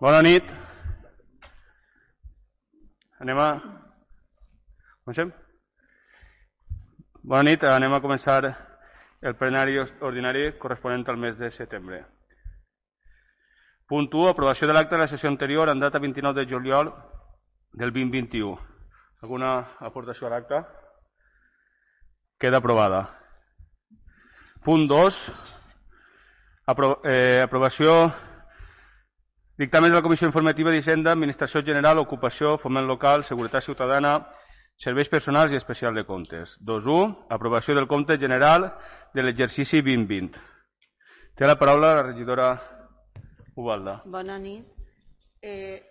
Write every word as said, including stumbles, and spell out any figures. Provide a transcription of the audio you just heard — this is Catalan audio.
Bona nit. Anem a... Comencem? Bona nit, anem a començar el plenari ordinari corresponent al mes de setembre. Punt u. Aprovació de l'acte de la sessió anterior en data vint-i-nou de juliol del vint vint-i-u. Alguna aportació a l'acte? Queda aprovada. Punt dos. Apro eh, aprovació dictamen de la Comissió Informativa d'Hisenda, Administració General, Ocupació, Foment Local, Seguretat Ciutadana, Serveis Personals i Especial de Comptes. dos u. Aprovació del compte general de l'exercici vint vint. Té la paraula la regidora Ubalda. Bona nit. Eh,